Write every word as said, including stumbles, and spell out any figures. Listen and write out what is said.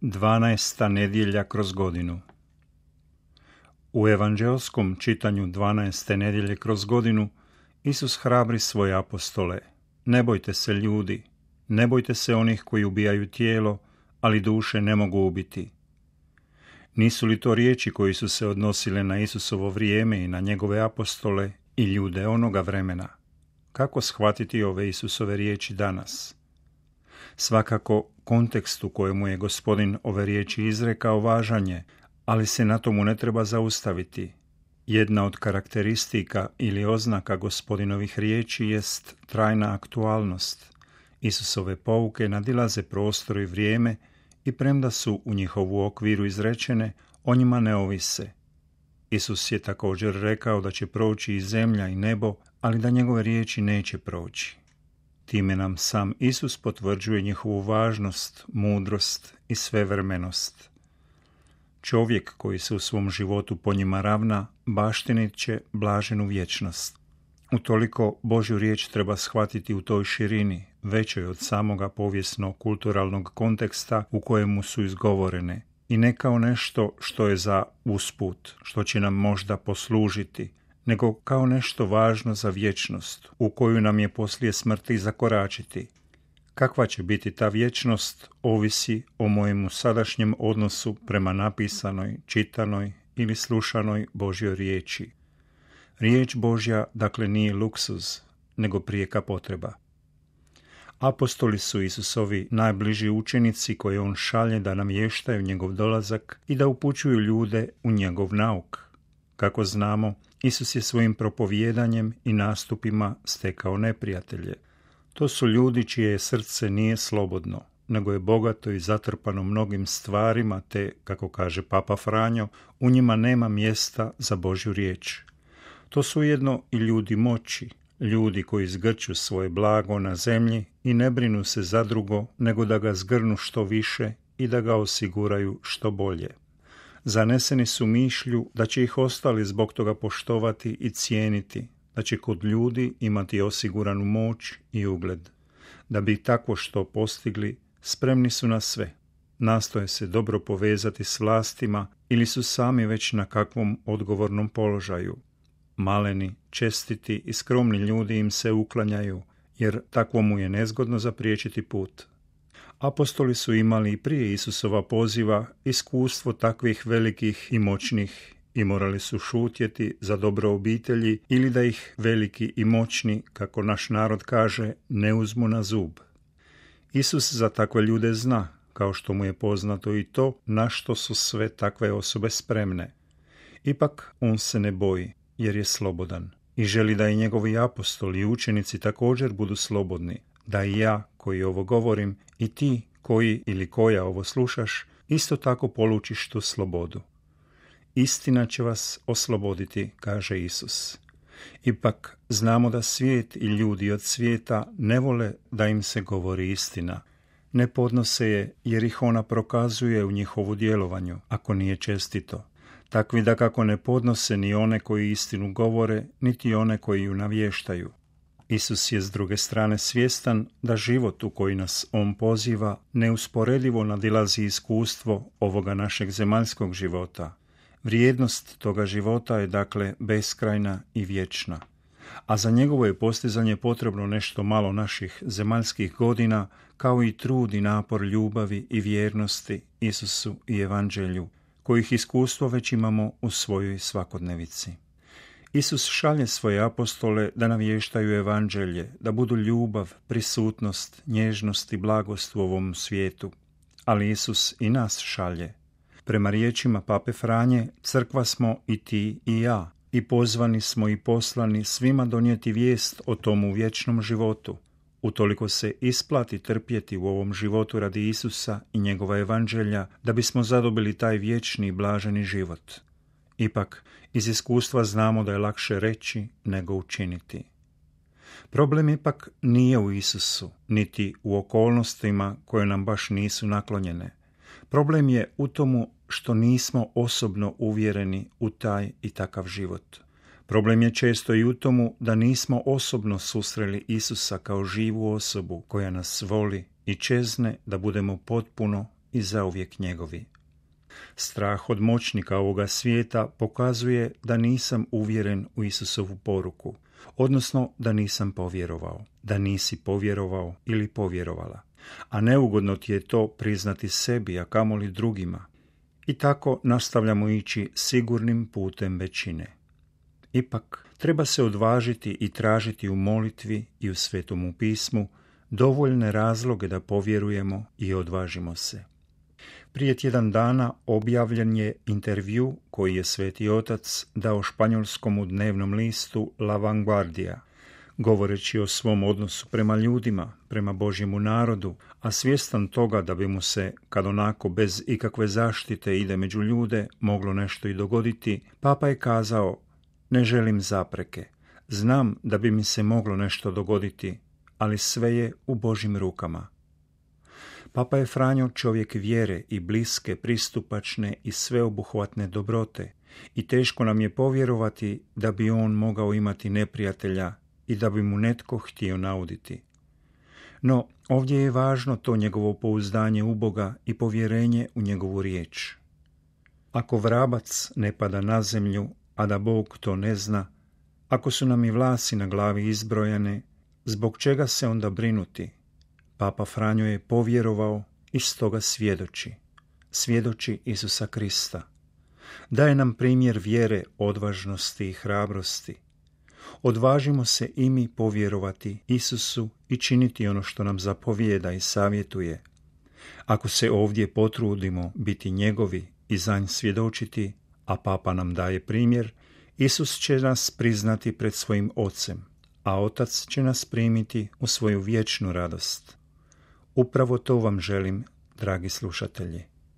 Dvanaesta nedjelja kroz godinu. U evanđelskom čitanju dvanaeste nedjelje kroz godinu Isus hrabri svoje apostole: ne bojte se ljudi, ne bojte se onih koji ubijaju tijelo, ali duše ne mogu ubiti. Nisu li to riječi koji su se odnosile na Isusovo vrijeme i na njegove apostole i ljude onoga vremena? Kako shvatiti ove Isusove riječi danas? Svakako, kontekst u kojemu je Gospodin ove riječi izrekao važan je, ali se na tomu ne treba zaustaviti. Jedna od karakteristika ili oznaka Gospodinovih riječi jest trajna aktualnost. Isusove pouke nadilaze prostor i vrijeme i premda su u njihovu okviru izrečene, o njima ne ovise. Isus je također rekao da će proći i zemlja i nebo, ali da njegove riječi neće proći. Time nam sam Isus potvrđuje njihovu važnost, mudrost i svevremenost. Čovjek koji se u svom životu po njima ravna, baštinit će blaženu vječnost. Utoliko Božju riječ treba shvatiti u toj širini, većoj od samoga povijesno-kulturalnog konteksta u kojemu su izgovorene, i ne kao nešto što je za usput, što će nam možda poslužiti, nego kao nešto važno za vječnost, u koju nam je poslije smrti zakoračiti. Kakva će biti ta vječnost, ovisi o mojemu sadašnjem odnosu prema napisanoj, čitanoj ili slušanoj Božjoj riječi. Riječ Božja, dakle, nije luksuz, nego prijeka potreba. Apostoli su Isusovi najbliži učenici koje on šalje da namještaju njegov dolazak i da upućuju ljude u njegov nauk. Kako znamo, Isus je svojim propovijedanjem i nastupima stekao neprijatelje. To su ljudi čije srce nije slobodno, nego je bogato i zatrpano mnogim stvarima te, kako kaže Papa Franjo, u njima nema mjesta za Božju riječ. To su ujedno i ljudi moći, ljudi koji zgrću svoje blago na zemlji i ne brinu se za drugo, nego da ga zgrnu što više i da ga osiguraju što bolje. Zaneseni su mišlju da će ih ostali zbog toga poštovati i cijeniti, da će kod ljudi imati osiguranu moć i ugled. Da bi takvo što postigli, spremni su na sve. Nastoje se dobro povezati s vlastima ili su sami već na kakvom odgovornom položaju. Maleni, čestiti i skromni ljudi im se uklanjaju, jer takvo mu je nezgodno zapriječiti put. Apostoli su imali i prije Isusova poziva iskustvo takvih velikih i moćnih i morali su šutjeti za dobro obitelji ili da ih veliki i moćni, kako naš narod kaže, ne uzmu na zub. Isus za takve ljude zna, kao što mu je poznato i to na što su sve takve osobe spremne. Ipak on se ne boji, jer je slobodan i želi da i njegovi apostoli i učenici također budu slobodni, da i ja koji ovo govorim i ti koji ili koja ovo slušaš isto tako polučiš tu slobodu. Istina će vas osloboditi, kaže Isus. Ipak znamo da svijet i ljudi od svijeta ne vole da im se govori istina. Ne podnose je jer ih ona prokazuje u njihovu djelovanju, ako nije čestito. Takvi da kako ne podnose ni one koji istinu govore, niti one koji ju navještaju. Isus je s druge strane svjestan da život u koji nas on poziva neusporedivo nadilazi iskustvo ovoga našeg zemaljskog života. Vrijednost toga života je dakle beskrajna i vječna, a za njegovo je postizanje potrebno nešto malo naših zemaljskih godina, kao i trud i napor ljubavi i vjernosti Isusu i Evanđelju, kojih iskustvo već imamo u svojoj svakodnevici. Isus šalje svoje apostole da navještaju Evanđelje, da budu ljubav, prisutnost, nježnost i blagost u ovom svijetu. Ali Isus i nas šalje. Prema riječima Pape Franje, crkva smo i ti i ja, i pozvani smo i poslani svima donijeti vijest o tomu vječnom životu. Utoliko se isplati trpjeti u ovom životu radi Isusa i njegova Evanđelja, da bismo zadobili taj vječni i blaženi život. Ipak, iz iskustva znamo da je lakše reći nego učiniti. Problem ipak nije u Isusu, niti u okolnostima koje nam baš nisu naklonjene. Problem je u tomu što nismo osobno uvjereni u taj i takav život. Problem je često i u tomu da nismo osobno susreli Isusa kao živu osobu koja nas voli i čezne da budemo potpuno i zauvijek njegovi. Strah od moćnika ovoga svijeta pokazuje da nisam uvjeren u Isusovu poruku, odnosno da nisam povjerovao, da nisi povjerovao ili povjerovala, a neugodno ti je to priznati sebi, a kamoli drugima. I tako nastavljamo ići sigurnim putem većine. Ipak, treba se odvažiti i tražiti u molitvi i u Svetomu pismu dovoljne razloge da povjerujemo i odvažimo se. Prije tjedan dana objavljen je intervju koji je Sveti Otac dao španjolskom dnevnom listu La Vanguardia, govoreći o svom odnosu prema ljudima, prema Božjemu narodu, a svjestan toga da bi mu se, kad onako bez ikakve zaštite ide među ljude, moglo nešto i dogoditi, Papa je kazao: ne želim zapreke, znam da bi mi se moglo nešto dogoditi, ali sve je u Božjim rukama. Papa je Franjo čovjek vjere i bliske, pristupačne i sveobuhvatne dobrote i teško nam je povjerovati da bi on mogao imati neprijatelja i da bi mu netko htio nauditi. No, ovdje je važno to njegovo pouzdanje u Boga i povjerenje u njegovu riječ. Ako vrabac ne pada na zemlju, a da Bog to ne zna, ako su nam i vlasi na glavi izbrojane, zbog čega se onda brinuti? Papa Franjo je povjerovao i stoga svjedoči. Svjedoči Isusa Krista. Daje nam primjer vjere, odvažnosti i hrabrosti. Odvažimo se i mi povjerovati Isusu i činiti ono što nam zapovijeda i savjetuje. Ako se ovdje potrudimo biti njegovi i za nj svjedočiti, a Papa nam daje primjer, Isus će nas priznati pred svojim Ocem, a Otac će nas primiti u svoju vječnu radost. Upravo to vam želim, dragi slušatelji.